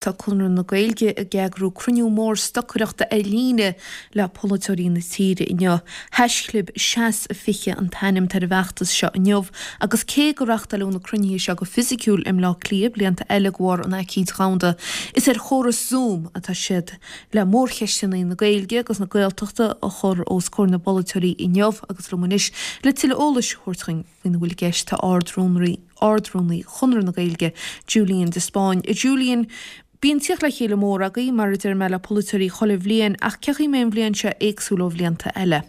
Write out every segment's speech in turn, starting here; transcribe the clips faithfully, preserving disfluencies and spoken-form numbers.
Tá Conradh na Gaeilge ag eagrú cruinniú mór stocaireachta ar líne le polaiteoirí na tíre inniu. Haischlib Seas fiche an t-ainm atá ar an bhfeachtas seo inniu agus cé gur reáchtáileadh na cruinnithe seo go fisiciúil i mBleá Cliath blianta eile de bharr an aicíd dhomhanda, is ar chóras Zoom atá siad le mórcheisteanna na Gaeilge agus na Gaeltachta a chur os comhair na bpolaiteoirí inniu agus liom anois le tuilleadh eolais a thabhairt dhúinn faoina bhfuil i gceist tá Ard-Rúnaí Ard-Rúnaí Chonradh na Gaeilge, Julian de Spáinn. Julian, bíonn tíocht le chéile mór agaibh, mar a deir mé, le polaiteoirí chuile bhliain, ach cén chaoi a mbeidh an bhliain seo éagsúil ó bhlianta eile?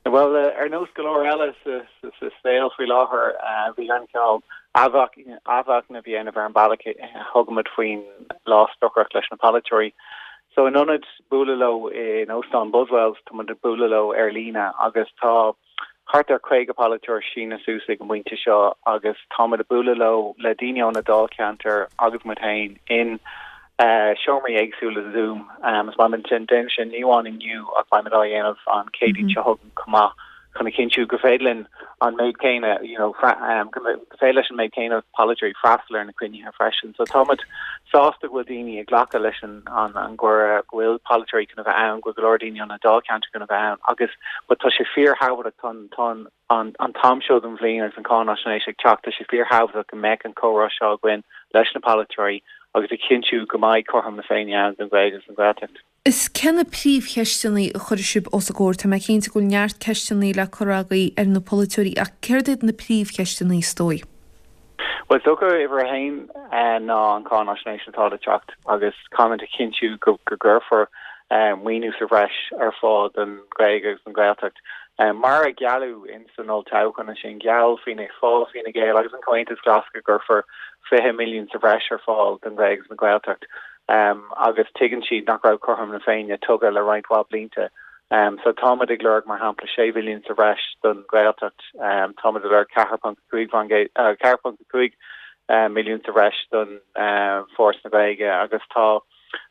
Bhuel, ar nós go leor eile sa saol faoi láthair, bhí an cineál athmhachnamh a dhéanamh ar an bealach a thugaimid faoin lá stocaireacht leis na polaiteoirí. So in ionad bualadh leo in Óstán Buswells, tá muid ag bualadh leo ar líne agus tá thart ar caoga polaiteoir sínithe suas ag an bpointe seo agus táimid ag bualadh leo le daoine ó na dáilcheantair agus muid féin in seomraí éagsúla Zoom. Is beimid ag déanamh sin ní amháin inniu ach beimid á dhéanamh an Chéadaoin seo chugainn chomh maith chun a chinntiú gur féidir linn an méid céanna you know go féidir leis an méid céanna polaiteoirí freastal ar na cruinnithe freisin. So táimid sásta go bhfuil daoine ag glacadh leis an an an gcuireadh, go bhfuil polaiteoirí chun a bheith ann, go bhfuil go leor daoine ó na dáilcheantair chun a bheith ann agus but tá sé fíorthábhachtach tá tá an an t-am seo den bhliain agus an cáinaisnéis ag teacht, tá sé fíorthábhachtach go mbeadh an comhrá seo againn leis na polaiteoirí agus a chinntiú go mbeidh cothrom na Féinne ann don Ghaeilge agus don Ghaeltacht. Is cé na príomhcheisteanna a chuirfidh sibh os a gcomhair? Tá mé cinnte go bhfuil neart ceisteanna le cur agaibh ar na polaiteoirí ach céard iad na príomhcheisteanna is dóigh? Bhuel, is dócha uimhir a haon ná an cáinaisnéis atá le teacht agus caithfimid a chinntiú go gcuirfear maoiniú sa bhreis ar fáil don Ghaeilge agus don Ghaeltacht. Mar a gealladh in san olltoghchán ansin, gheall Fianna Fáil, Fine Gael agus an Comhaontas Glas go gcuirfear fiche milliún sa bhreis ar fáil don Ghaeilge agus don Ghaeltacht. agus tuigeann siad nach raibh cothrom na Féinne tugtha le roinnt mhaith blianta. So táimid ag lorg, mar shampla, sé mhilliún sa bhreis don Ghaeltacht, táimid ag lorg ceathair ponc cúig ceathair ponc cúig milliún sa bhreis don Foras na Gaeilge agus tá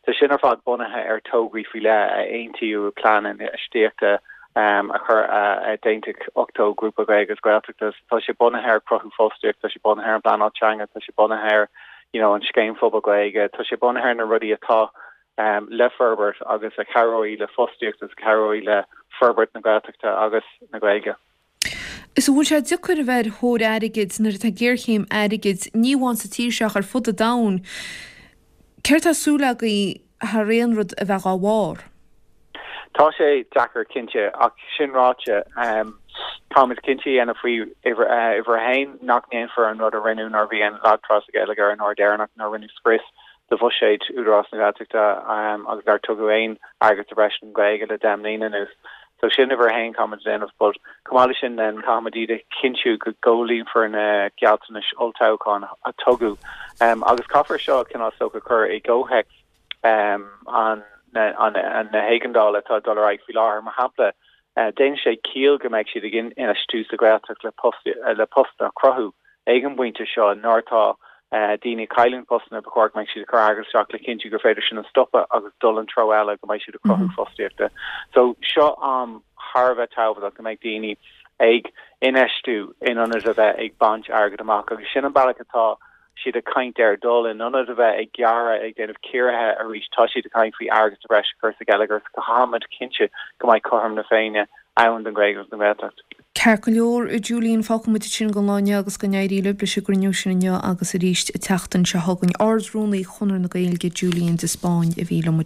tá sin ar fad bunaithe ar tograí faoi leith a aontaíodh i bplean infheistíochta a chur a d'aontaigh ochtó grúpa Gaeilge agus Gaeltachta. Tá sé bunaithe ar cruthú fostaíocht, tá sé bunaithe ar an bpleanáil teanga, tá sé bunaithe ar you know, an scéim phobal Gaeilge, tá sé bunaithe ar na rudaí atá um, le forbairt agus a chabhróidh le fostaíocht agus a chabhróidh le forbairt na Gaeltachta agus na Gaeilge. Is an bhfuil sé deacair a bheith ar thóir airgid nuair atá géarchéim airgid, ní amháin sa tír seo ach ar fud an domhain. Céard tá súil agaibh thar aon rud a bheith dá bharr? Tá sé deacair cinnte, ach sin ráite, táimid cinnte a dhéanamh faoi uimhir a haon nach ndéanfar an rud a rinneadh nuair a bhí an lag trá sa gheilleagar an uair dheireanach nuair a rinneadh scrios de bhuiséad Údarás na Gaeltachta agus nár tugadh aon airgead sa bhreis don Ghaeilge le deich mbliana anuas. So sin uimhir a haon caithfimid a dhéanamh but chomh maith leis sin then caithfimid iad a chinntiú go gcomhlíonfar na gealltanais olltoghcháin a tugadh agus caithfear seo cineál is dócha a chur i gcomhthéacs an na héigeandála atá ag dul ar aghaidh faoi láthair. Mar shampla, déanann sé ciall go mbeidh siad ag infheistiú sa Ghaeltacht le le postanna a chruthú ag an bpointe seo nuair atá daoine ag cailliúint postanna, ba chóir go mbeidh siad ag cur airgead isteach le cinntiú gur féidir sin a stopadh agus dul an treo eile go mbeidh siad ag cruthú fostaíochta. So seo am thar a bheith tábhachtach go mbeidh daoine ag infheistiú in ionad a bheith ag baint airgead amach agus sin an bealach atá siad ag caint ar dul in ionad a bheith ag gearradh, ag déanamh ciorruithe arís, tá siad ag caint faoi airgead sa bhreis a chur sa gheilleagar so caithfimid cinntiú go mbeidh cothrom na Féinne ann don Ghaeilge agus don Ghaeltacht. Ceart go leor, a Julian, fágfaidh muid ansin don lá inniu agus go n-éirí libh leis an gcruinniú sin inniu agus arís an tseachtain seo chugainn. Ard-Rúnaí Chonradh na Gaeilge, Julian de Spáinn a bhí liom.